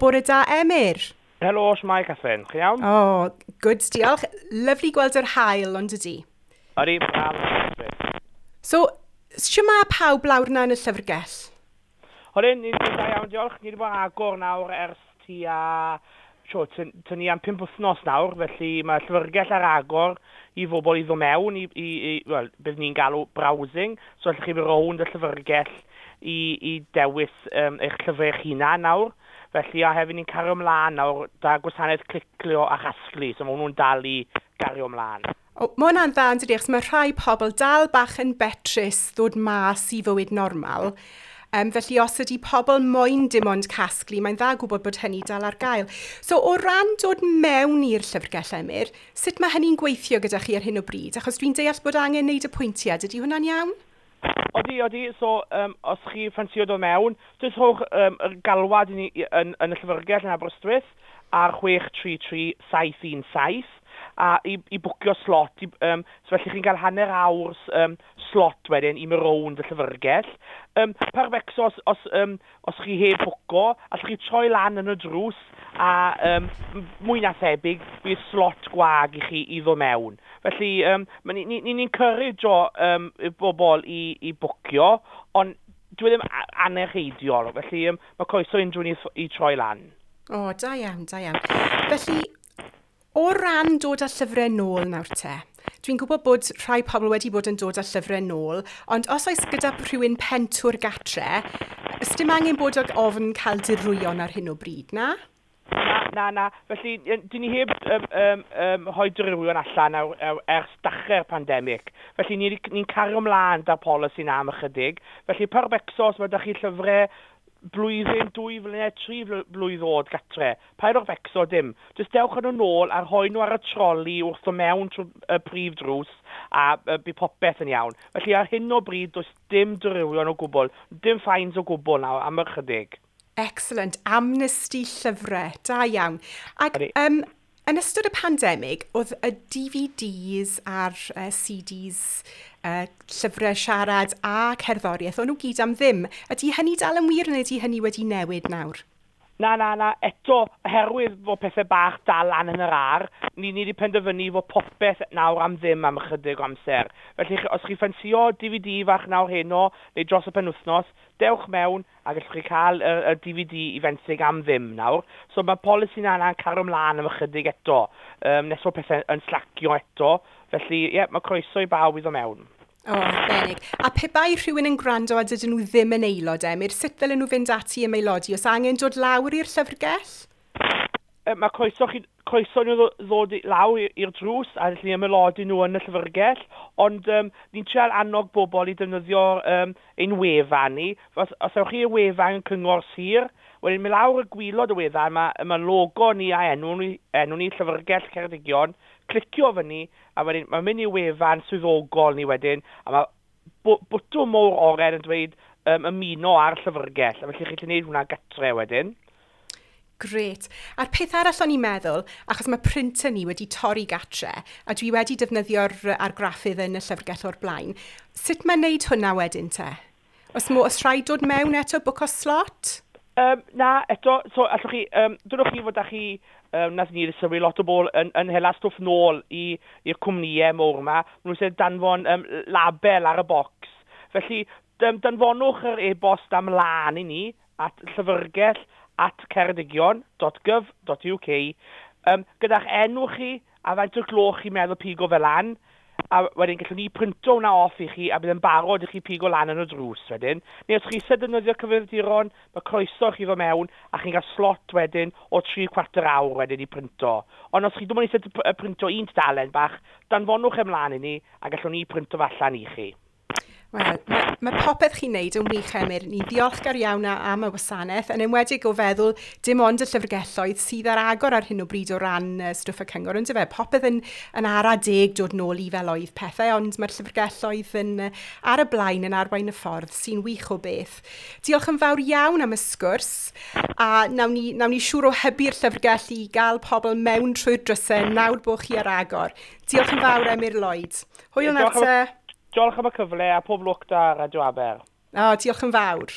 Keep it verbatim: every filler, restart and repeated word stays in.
Bore da, Emyr. Helo, shwmae, Catherine. Chi iawn? O, oh, good, diolch. Lyfli gweld yr haul, ond ydi? Ydi, braf. So, shwmae pawb lawr 'na yn y llyfrgell? Odyn, ni'n da iawn, diolch. Ni wedi bod agor nawr ers tua sio, tyn ni am pump wythnos nawr, felly mae llyfrgell ar agor i bobl i ddod mewn, i, i, i wel, bydd ni'n galw browsing, so allwch chi fynd rownd y llyfrgell i, i dewis um, eich llyfrau eich hunan nawr. Felly, a hefyd ni'n cario ymlaen nawr 'da gwasanaeth clicio a chasglu, so mae hwnnw'n dal i gario ymlaen. O, mae hwnna'n dda yn dydi, achos mae rhai pobl dal bach yn betrus ddod mas i fywyd normal. Um, felly os ydy pobl moyn dim ond casglu, mae'n dda gwybod bod hynny dal ar gael. So o ran dod mewn i'r llyfrgell, Emyr, sut mae hynny'n gweithio gyda chi ar hyn o bryd? Achos dwi'n deall bod angen neud apwyntiad, ydy hwnna'n iawn? Odi, odi. So, um, os chi ffansio dod mewn, jyst rhowch um, y galwad i ni yn, yn y llyfrgell yn Aberystwyth ar chwech tri tri saith un saith a i, i bwcio slot. I, um, so felly chi'n cael hanner awr um, slot wedyn i mynd rownd y llyfrgell. Um, paid becso os, os, um, os chi heb bwco, allwch chi troi lan yn y drws a um, mwy na thebyg bydd slot gwag i chi i ddod mewn. Felly um, ni'n ni, ni, ni encourage-o um, y bobl i, i bwcio, ond dwi ddim angenrheidiol, felly um, mae croeso unrhyw un i, i troi lan. O, oh, da iawn, da iawn. Felly, o ran dod â llyfrau nôl nawr te, dwi'n gwybod bod rhai pobl wedi bod yn dod â llyfrau nôl, ond os oes gyda rhywun pentwr gatre, ys dim angen bod ag ofn cael dirwyon ar hyn o bryd, na? Na, na, na. Felly, dyn ni heb um, um, um, rhoi dirwyon allan awr, awr, ers dechrau'r pandemig. Felly, ni'n ni cario ymlaen 'da'r polisi na am ychydig. Felly, paid becso os mae 'da chi llyfrau blwyddyn, dwy flynedd, tri blwydd oed gatre. Paid â becso dim. Jyst dewch yn nhw nôl a rhoi nhw ar y troli wrth o mewn trwy y prif drws a uh, bydd popeth yn iawn. Felly ar hyn o bryd does dim dirwyon o gwbl, dim fines o gwbl nawr am ychydig. Excellent. Amnesty llyfrau. Da iawn. Ac um, yn ystod y pandemig, oedd y D V Ds a'r uh, C Ds, uh, llyfrau siarad a cerddoriaeth, o'n nhw gyd am ddim. Ydy hynny dal yn wir neu ydy hynny wedi newid nawr? Na, na, na. Eto, oherwydd fod pethau bach dal lan yn yr aer, ni, ni wedi penderfynu fod popeth nawr am ddim am ychydig o amser. Felly, os chi ffansio D V D fach nawr heno, neu dros y penwythnos, dewch mewn a gallwch chi cael y, y D V D i fenthyg am ddim nawr. So mae polisi na yna'n cario ymlaen am ychydig eto, um, nes bod pethau yn slacio eto. Felly, ie, yeah, mae croeso i bawb i ddod mewn. O, oh, arbennig. A pe bai rhywun yn gwrando a dydyn nhw ddim yn aelod, Emyr, sut ddylen nhw fynd ati ymaelodi? Oes angen dod lawr i'r llyfrgell? E, mae croeso, chi, croeso nhw ddod lawr i'r drws a gallu ymaelodi nhw yn y llyfrgell, ond um, ni'n trial annog bobl i defnyddio um, ein wefan ni. Os, os ewch chi i'r wefan Cyngor Sir, wedyn mynd lawr y gwaelod y wefan, mae, mae logo ni a enw ni, enw ni Llyfrgell Ceredigion, clicio fyny, a wedyn mae'n mynd i wefan swyddogol ni wedyn, a mae bwtwm mowr oren yn dweud um, ymuno ar llyfrgell, a felly chi'n gallu gwneud hwnna gatre wedyn. Grêt. A'r peth arall o'n i'n meddwl, achos mae printer ni wedi torri gatre, a dwi wedi defnyddio'r argraffydd yn y llyfrgell o'r blaen, sut mae'n neud hwnna wedyn te? Os, mo, os rhaid dod mewn eto, bwco slot? Um, na, eto, so allwch chi, um, dwedwch chi fod â chi, um, nath ni sylwi lot o bobl yn, yn hela stwff nôl i'r cwmnïau mowr yma, maen nhw'n danfon um, label ar y bocs. Felly, um, danfonwch yr e-bost am lan i ni at llyfrgell at ceredigion dot gov dot U K um, gyda'ch enw chi a faint o'r gloch chi'n meddwl pigo fe lan, a wedyn gallwn ni printo hwnna off i chi a bydd yn barod i chi pigo lan yn y drws wedyn. Neu os chi eisiau defnyddio cyfrifiaduron, mae croeso chi ddod mewn a chi'n cael slot wedyn o tri chwarter awr wedyn i printo. Ond os chi ddim ond eisiau printo un tudalen bach, danfonwch ymlaen i ni a gallwn ni printo fe allan i chi. Wel, mae, mae popeth chi'n neud yn wych, Emyr. Ni ddiolchgar iawn am y wasanaeth, yn enwedig o feddwl dim ond y llyfrgelloedd sydd ar agor ar hyn o bryd o ran uh, stwff y cyngor. Ond fe, popeth yn, yn ara deg dod nôl i fel oedd pethau, ond mae'r llyfrgelloedd yn, uh, ar y blaen yn arwain y ffordd, sy'n wych o beth. Diolch yn fawr iawn am y sgwrs, a nawn ni, nawn ni siŵr o hybu'r llyfrgell i gael pobl mewn trwy'r drysau nawr bod chi ar agor. Diolch yn fawr, Emyr Lloyd. Hwyl nawr te. Diolch am y cyfle a pob lwc 'da Radio Aber. O, diolch yn fawr.